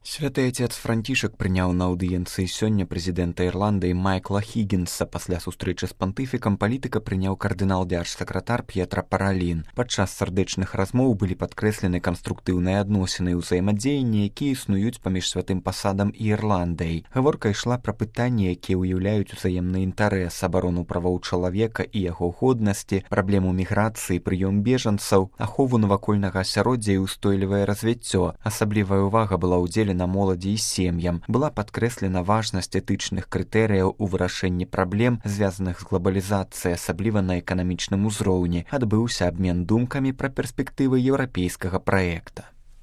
Святы отец Францішак прыняў на аўдыенцыі сёння прэзідэнта Ірландыі Майкла Хіггінса. Пасля сустрэчы з пантыфікам палітыка прыняў кардынал дзяржсакратар П'етра Паралін. Падчас сардэчных размоў былі падкрэслены канструктыўныя адносіны і ўзаемадзеянні, якія існуюць паміж святым пасадам і Ірландай. Гаворка ішла пра пытанні, якія ўяўляюць узаемны інтарэс, абарону правоў чалавека і яго годнасці, праблему міграцыі, прыём бежанцаў, ахову навакольнага асяроддзя і ўстойлівае развіццё. Асаблівая ўвага была ўдзелена на моладзі і сем'ям. Была падкрэслена важнасць этычных крытэрыяў у вырашэнні праблем, звязаных з глабалізацыяй, асабліва на эканамічным узроўні. Адбыўся абмен думкамі пра перспектывы еўрапейскага праекта.